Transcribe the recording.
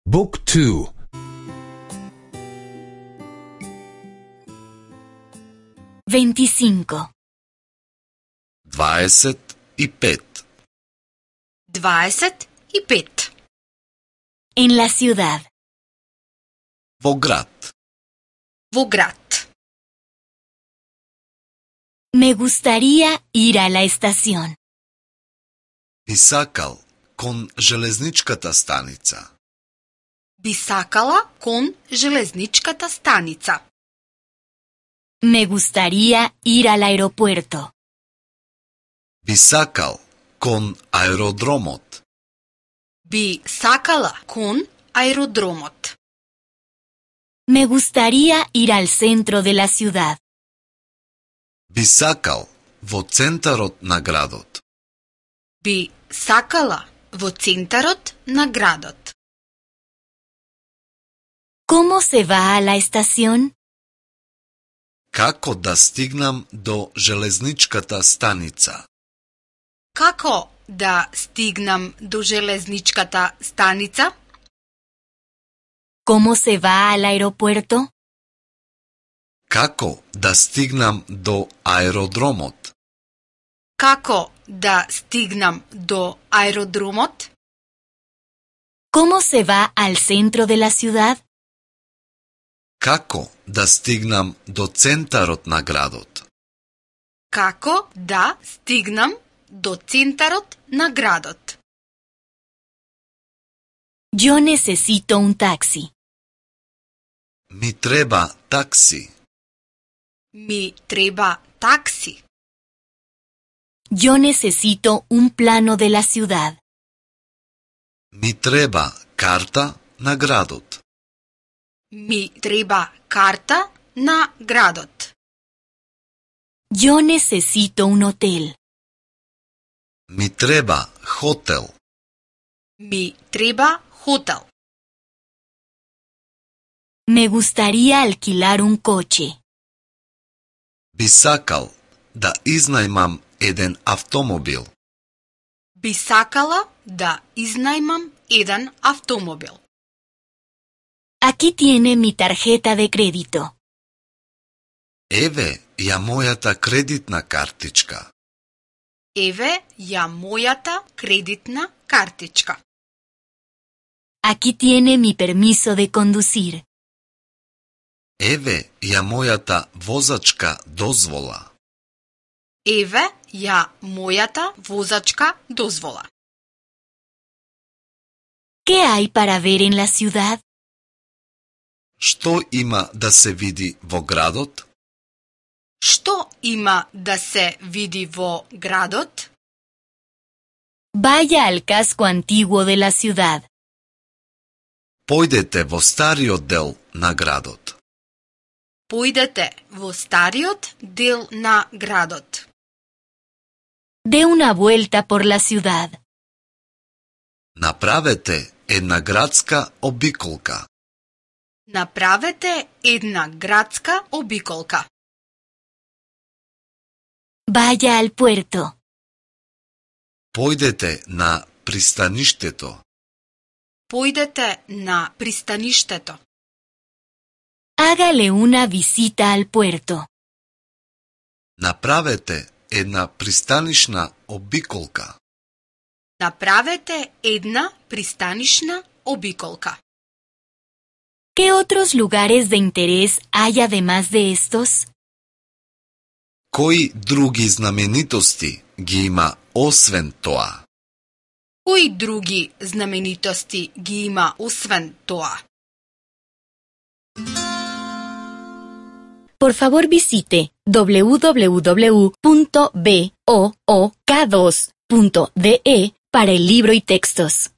Book 2. 25. 25. 25. En la ciudad. Во град. Во град. Me gustaría ir a la estación. Би сакал кон железничката станица. Би сакала кон железничката станица. Me gustaría ir al aeropuerto. Би сакал кон аеродромот. Би сакала кон аеродромот. Me gustaría ir al centro de la ciudad. Би сакал во центарот на градот. Би сакала во центарот на градот. ¿Cómo se va a la estación? Како да стигнам до железничката станица? Како да стигнам до железничката станица? ¿Cómo se va al aeropuerto? Како да стигнам до аеродромот? Како да стигнам до аеродромот? ¿Cómo se va al centro de la ciudad? Како да стигнам до центарот на градот? Како да стигнам до центарот на градот? Yo necesito un taxi. Ми треба такси. Ми треба такси. Yo necesito un plano de la ciudad. Ми треба карта на градот. Ми треба карта на градот. Yo necesito un hotel. Ми треба хотел. Ми треба хотел. Me gustaría alquilar un coche. Би сакал да изнајмам еден автомобил. Би сакала да изнајмам еден автомобил. Aquí tiene mi tarjeta de crédito. Еве ја мојата кредитна картичка. Еве ја мојата кредитна картичка. Aquí tiene mi permiso de conducir. Еве ја мојата возачка дозвола. Еве ја мојата возачка дозвола. ¿Qué hay para ver en la ciudad? Што има да се види во градот? Што има да се види во градот? Vaya al casco antiguo de la ciudad. Појдете во стариот дел на градот. Појдете во стариот дел на градот. Dé una vuelta por la ciudad. Направете една градска обиколка. Направете една градска обиколка. Vaya al puerto. Појдете на пристаништето. Појдете на пристаништето. Hágale una visita al puerto. Направете една пристанишна обиколка. Направете една пристанишна обиколка. ¿Qué otros lugares de interés hay además de estos? Кои други знаменитости ги има освен тоа? Кои други знаменитости ги има освен тоа? Por favor visite www.book2.de para el libro y textos.